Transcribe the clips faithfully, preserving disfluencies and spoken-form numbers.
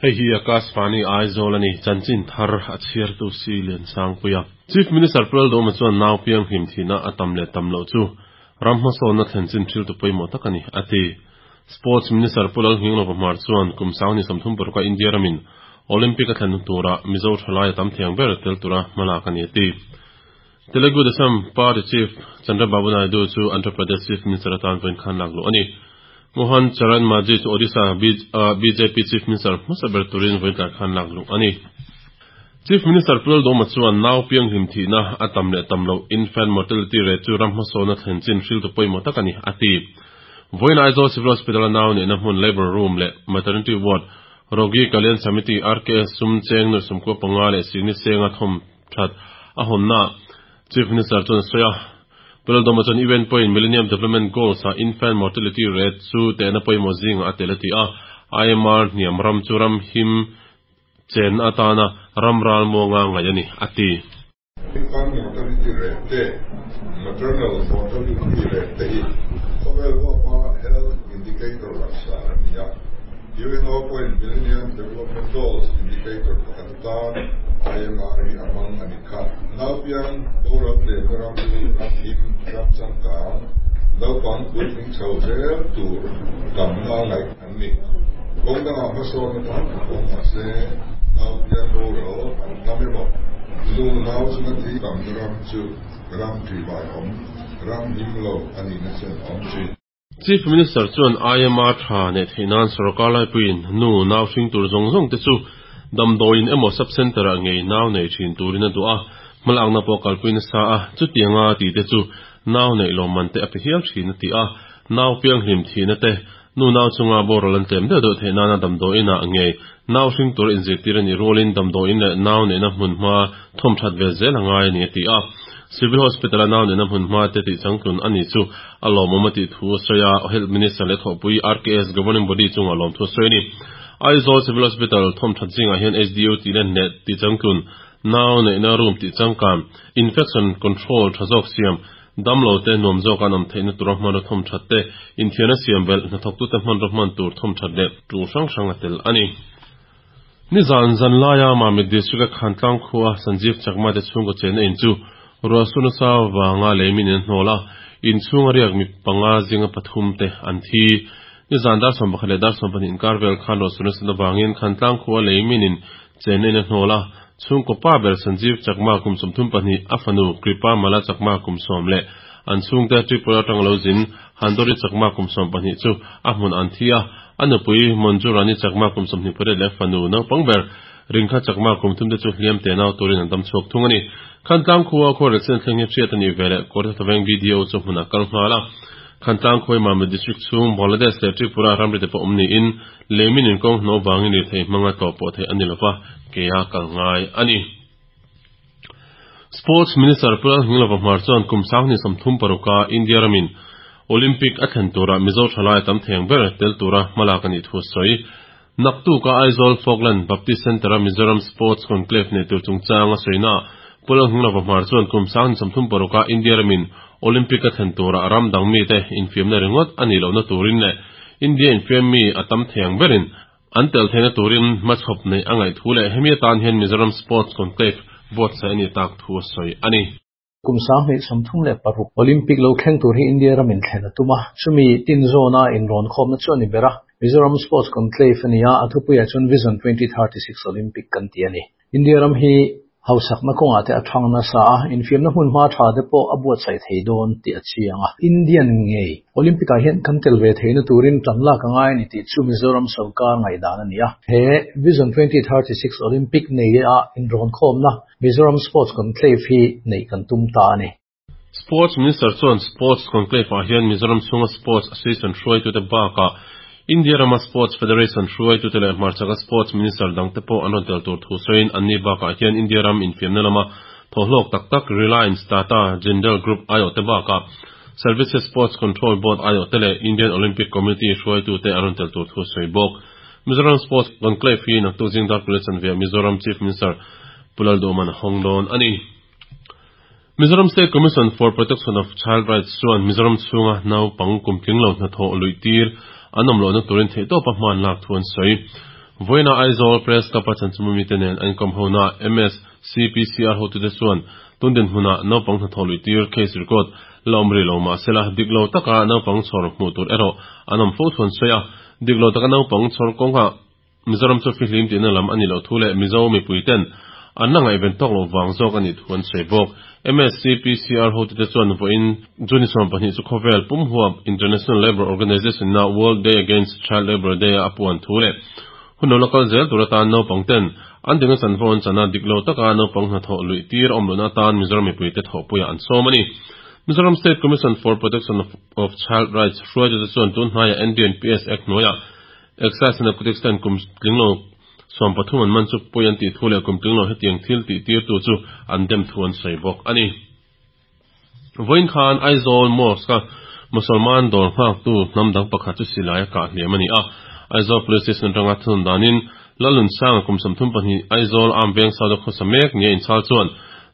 Hei hi Akashvani Aizawl ani chanchin thar a chhiar tu si Lian Sangpuia. Chief Minister Pu Lalduhoma chuan nau piang hlim thihna a tam leh tam loh chu ram hmasawnna thlen chin thil tu pawimawh tak a ni, a ti. Sports Minister Pu Lalnghinglova Hmar chuan kum sang ni sawmthum paruk a India ramin Olympic a thlen tura Mizo thalai a tam thiang ber tel tura hmalak a ni, a ti. Telugu Desam Party Chief Chandrababu Naidu chu Andhra Pradesh Chief Minister atan vawiin khan lak luh a ni. Mohan Charan Majhi chu Odisha B J P Chief Minister hmasa ber turin vawiin tlai khan lak luh a ni. Chief Minister Pu Lalduhoma chuan nau piang hlim thihna a tam leh tam loh, infant mortality rate, chu ram hmasawnna thlen chin hriltu pawimawh tak a ni, a ti. Vawiin Aizawl Civil Hospital a nau neihna hmun labour room leh maternity ward Rogi Kalyan Samiti, R K S, sum cheng nuai sawmkua panga leh singni senga thawm that a hawnna Chief Minister chuan a sawi a. Pu Lalduhoma chuan U N pawhin Millennium Development Goals a infant mortality rate chu tehna pawimawh zinga a tel a ti a. I M R hniam ram chu ram him chen atana ram ral muanga ngaih a ni, a ti. Infant mortality rate te, maternal mortality rate te hi khawvel huapa health indicator langsar an ni a. U N O pawhin Millennium Development Goals indicator pakhat atan I M R hi a hmang a ni kha. Nau piang boral tlemna ram chu ram him, ram changkang, naupang puitling chho zel tur tamna ngaih an ni. Kawng dangah hmasawnna tam tak awm mah se, nau piang boral an tam emaw, nu nau chunga thi tamna ram chu ram ṭihbaiawm, ram him lo a nihna chen a awm thin. Chief Minister chuan I M R tha nei theih nan sarkar laipuiin nu nau hring tur zawng zawng te chu damdawiin emaw sub center ah ngei nau nei thin turin a duh a, hmalakna pawh kalpuina sa a, chutianga ti te chu nau nei lawmman te a pe hial thin a ti a. Nau piang hlim thihna te, nu nau chunga boral an tlem deuh deuh theih nana damdawiin ah ngei nau hring tur inzirtir ani rualin damdawiin leh nau neihna hmun hma thawm that ve zel angai ani a ti a. Civil Hospital a nau neihna hmun hma te tih changtlun ani chu a lawmawm a tih thu a sawi a, Health Minister leh thawhpui R K S Governing Body chunga lawm thu a sawi a ni. Aizawl Civil Hospital thawm that zingah hian H D U tih len leh tih changtlun, nau neihna room tih changkan, infection control tha zawk siam, damlo te nuam zawk an awm theihna tura hmanraw thawm that te, inthiarna siam belh, hnathawk tu te hmanraw hman tur thawm that leh tul hrang hrang a tel a ni. Ni zan zan laia Mamit District a Khantlang khua Sanjeev Chakma te chhungkaw chenna in chu ruahsur nasa wanga leimin in hnawl a, in chhunga riak mi panga zinga pathum te an thi. Ni zan dar sawm pakhat leh dar sawm pahnih inkar vel khan ruahsur nasa wangin Khantlang khua leimin in chenna in a hnawl a, chhungkaw pa ber Sanjeev Chakma kum sawmthum pahnih, a fanu Kripa Mala Chakma kum sawm leh an chhungte Tripura atang lo zin Handori Chakma kum sawm pahnih chu a hmun an thi a, a nupui Monjurani Chakma kum sawmhnih pariat leh fanu naupang ber Ringkha Chakma kum thum te chu hliam te nau turin an dam chhuak thung a ni. Khantlang khua khuarel chen thleng hi hriat ani veleh Kawrthah B D O chu hmunah kal nghal a. Khantlang khuai Mamit District chhung Bangladesh leh Tripura ramri te pawh awm niin leimin in kawng hnaw wangin ri thei hmanga tlawh pawh thei ani lova, ke a kal ngai ani. Sports Minister Pu Lalnghinglova Hmar chuan kum sang ni sawmthum paruka India ramin Olympic a thlen tura Mizo thalai tam theng ber tel tura hmalak ani thu a sawi. Naktuka Aizawl Falkland Baptist Center a Mizoram Sports Conclave nei tur chungchang a sawina Pu Lalnghinglova Hmar chuan kum sang ni sawmthum paruka India ramin Olympic a thlen tura ram dang mi te infiamna ringawt ani lohna turin leh India infiam mi a tam theng berin an tel theihna turin hmachhawp nei a ngaih thu leh hemi atan hian Mizoram Sports Conclave buatsaih ani tak thu a sawi ani. Kum sang hnih sawmthum leh paruk Olympic lo thleng tur hi India ramin thlen a tum a, chumi tin zawna inrawn khawmna chu ani ber a. Mizoram Sports Conclave ani a, a thupuiah chuan Vision twenty thirty-six Olympic kan ti ani. India ram hi hausakna kawngah te a thang nasa a, infiamna hmun hma tha te pawh a buatsaih thei dawn tih a chiang a. Indian ngei Olympic ah hian kan tel ve theihna turin tan lak angai ani tih chu Mizoram sarkar ngaihdan ani a. He Vision twenty thirty-six Olympic nei a inrawn khawmna Mizoram Sports Conclave hi nei kan tum ta ani. Sports Minister chuan Sports Conclave ah hian Mizoram chhunga Sports Association hruaitu te bakah India rama Sports Federation hruaitu te leh hmarchaka Sports Minister dang te pawh an rawn tel tur thu sawiin anni bakah hian India ram infiamna lama thawhlawk tak tak Reliance, Tata, Jindal Group aiawh te bakah Services Sports Control Board aiawh te leh Indian Olympic Committee hruaitu te an rawn tel tur thu sawi bawk. Mizoram Sports Conclave hi naktuk zing dar pali chanve Mizoram Chief Minister Pu Lalduhoma'n a hawng dawn ani. Mizoram State Commission for Protection of Child Rights chuan Mizoram chhunga naupang kum tling lo hnathawh luih tir an awm lohna turin theihtawpa hman lak thu an sawi. Voina Aizawl Press Club a chanchimumi mite nen an inkawm hona M S C P C R hotute chuan tundin hmuna naupang hnathawh lui tir case record la awm rih lo mahsela dik lo taka naupang chhawr hmuh tur erawh an awm fo thu an sawi a. Dik lo taka naupang chhawr kawnga Mizoram chu fihlim tihna lam ani lo thu leh Mizo mipui ten an la ngaihven tawk lo vang zawk ani thu an sawi bawk. M S C P C R hotute chuan vawiin June sawm pahnih chu khawvel pum huap International Labour Organization na World Day Against Child Labour Day a puan thu leh hun lo lokal zel tur atan naupang ten an dinga chanvo an chana dik lo taka naupang hnathawh lui tir awm lohna atan Mizoram mipui te thawhpuiah an sawm ani. Mizoram State Commission for Protection of, of Child Rights hruaitute chuan tun hnaia N D P S Act hnuaiah Excise and Narcotics ten kum tlinglo sawm pathum an man chu pawi an tih thu leh kum tlinglo hetiang thil tih tir tu chu an dem thu an sawi bawk ani. Vawiin khan Aizawl Mosque Musalman dawr nghak tu hnam dang pakhat chu silai a kah hliam ani a. Aizawl Police Station atanga thun danin Lalun Sang kum sawmthum pahnih, Aizawl Am Veng South a khawsa mek nia inchhal chuan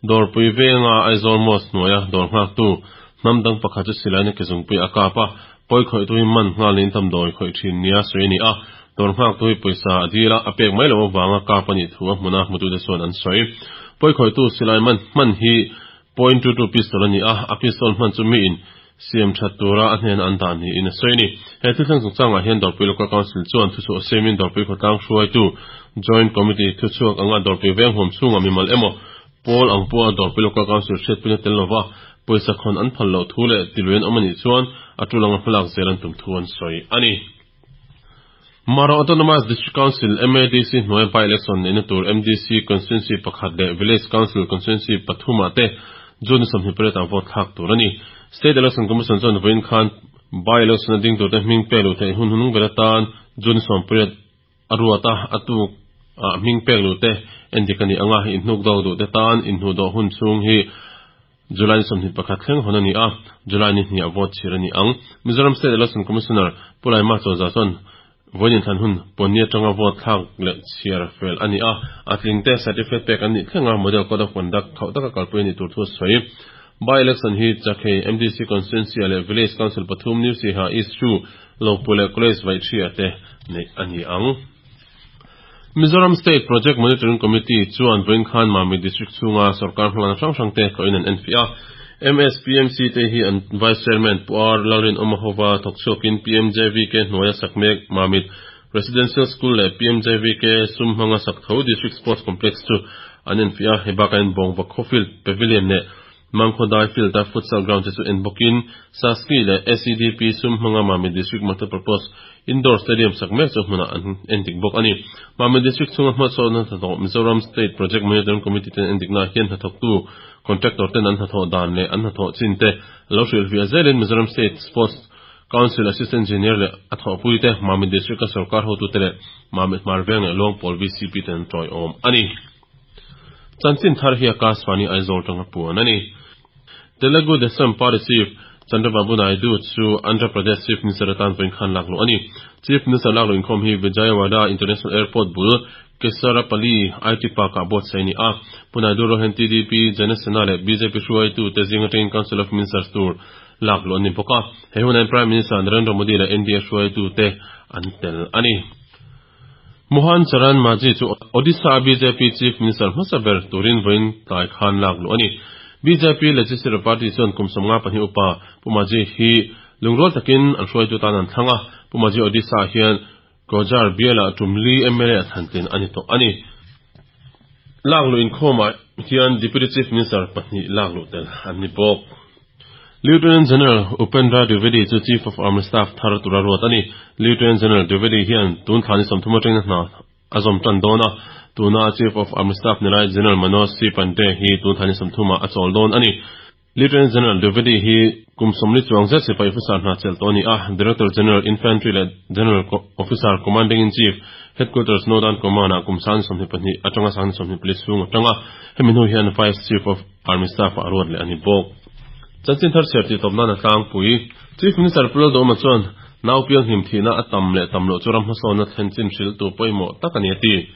dawrpui venga Aizawl Mosque hnuaia dawr nghak tu hnam dang pakhat chu silai na kezungpui a kap a. Pawi khawih tu hi man nghalin damdawi khawih thin nia sawi ani a. Dawr nghak tu hi pawisa a dil a, a pek mai lo awanga kap ani thu a hmuna hmutu te chuan an sawi. Pawi khawih tu silai man hman hi point two two pistol ani a, a pistol hman chu mi in siam that tura a hnen an dah ni in a sawi ni. He thil thleng chungchangah hian Dawrpui Local Council chuan thu chu a siamin Dawrpui khawtlang hruaitu Joint Committee thu chhuak anga Dawrpui veng huam chhunga mimal emaw pawl ang pawha Dawrpui Local Council hriatpuina tel lova pawisa khawn an phal loh thu leh tiluin awm anih chuan a tulanga hmalak zel an tum thu an sawi ani. Mara Autonomous District Council M A D C hnuai by election neihna tur M D C constituency pakhat leh Village Council constituency pathum ah te June sawmhnih pariat ah vote thlak tur ani. State Election Commission chuan vawiin khan by election a ding turte hming pek luh theih hun hunung ber atan June sawm pariat a ruat a, a tuk a hming pek luh te endik ani anga, inhnuk dawk duh te tan inhnu dawh hun chhung hi July sawmhnih pakhat thleng hawn ani a, July ni hnih a vote chhir ani ang. Mizoram State Election Commissioner Pulaima Chawza chuan vawiin thlan hun pawni atanga vote thlak leh chhiar fel ani a, a tling te certificate pek an nih thlenga model code of conduct khauh taka kalpui ani tur thu a sawi. By election hi Chakhei M D C constituency leh Village Council pathum New Siaha East Two, Lopui leh College Vaithria te neih ani ang. Mizoram State Project Monitoring Committee chuan vawiin khan Mamit District chhunga sarkar hmalakna hrang hrang te koin an enfiah a. M S P M C te hi an Vice Chairman Pu R Lalrin Awmahova thawk chhuakin P M J V K hnuaia sakmek Mamit Residential School leh P M J V K sum hmanga sak tho District Sports Complex chu an enfiah a. Hei bakah in Bawngva Khawfield Pavilion leh Mangkhawdai Field a futsal ground te chu en bawkin Saski leh S E D P sum hmanga Mamit District Multipurpose Indoor Stadium sak mek chu hmunah an endik bawk ani. Mamit District chhunga hmasawnna hnathawk Mizoram State Project Monitoring Committee ten endikna hian hnathawktu contractor ten an hnathawh dan leh an hnathawh chin te lo hrilhfiah zelin Mizoram State Sports Council Assistant Engineer leh a thawhpui te, Mamit District a sarkar hotu te leh Mamit Hmarveng leh Luangpawl V C P ten an tawiawm ani. Chanchin thar hi Akashvani Aizawl tanga puan ani. Telugu Desam Party Chief Chandrababu Naidu chu Andhra Pradesh Chief Minister atan vawiin khan lak luh ani. Chief Minister lak luh inkhawm hi Vijayawada International Airport bul Kesarapalli I T Park ah buatsaih ani a. Pu Naidu rohen T D P, Janasena leh B J P hruaitu te zinga atangin Council of Ministers tur lak luh ani bawk a. He hunan Prime Minister Narendra Modi leh N D A hruaitu te an tel ani. Mohan Charan Majhi chu Odisha B J P Chief Minister hmasa ber turin vawiin tlai khan lak luh ani. B J P Legislative Party chuan kum sawmnga pahnih upa Pu Majhi hi lungrual takin an hruaitu tan an thlang a. Pu Majhi Odisha hian Keonjhar biala tumli M L A thantin ani tawh ani. Lak luh inkhawmah hian Deputy Chief Minister pahnih lak luh tel an ni bawk. Lieutenant General Upendra Dwivedi chu Chief of Army Staff thar tura ruat ani. Lieutenant General Dwivedi hian tun thlani sawmthum atangin hna a zawm tan dawn a. Tuna Chief of Army Staff nilai General Manoj C Pande hi tun thlani sawmthuma a chawl dawn ani. Lieutenant General Dwivedi hi kum sawmli chuang zet sipai officer hna chel tawh ani a. Director General Infantry leh General Officer Commanding in Chief, Headquarters Northern Command ah kum sang sawmhnih pahnih atanga sang sawmhnih pali chhung atanga. Hemi hnu hian Vice Chief of Army Staff ah ruat leh ani bawk. Chanchin thar chhiar tih tawp nan a tlangpui. Chief Minister Pu Lalduhoma chuan nau piang hlim thihna a tam leh tam loh chu ram hmasawnna thlen chin hril tu pawimawh tak ani a ti.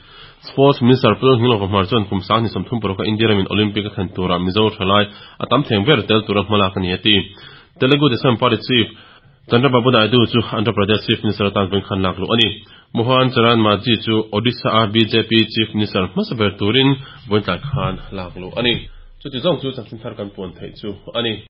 Sports Minister Pu Lalnghinglova Hmar chuan kum sang ni sawmthum paruk a India ramin Olympic a thlen tura Mizo thalai a tam theng ber tel tura hmalak ani a ti. Telugu Desam Party Chief Chandrababu Naidu chu Andhra Pradesh Chief Minister atan vawiin khan lak luh a ni. Mohan Charan Majhi chu Odisha a BJP Chief Minister hmasa ber turin vawiin tlai khan lak luh a ni. Chuti zawng chu chanchin thar kan puan theih chu a ni.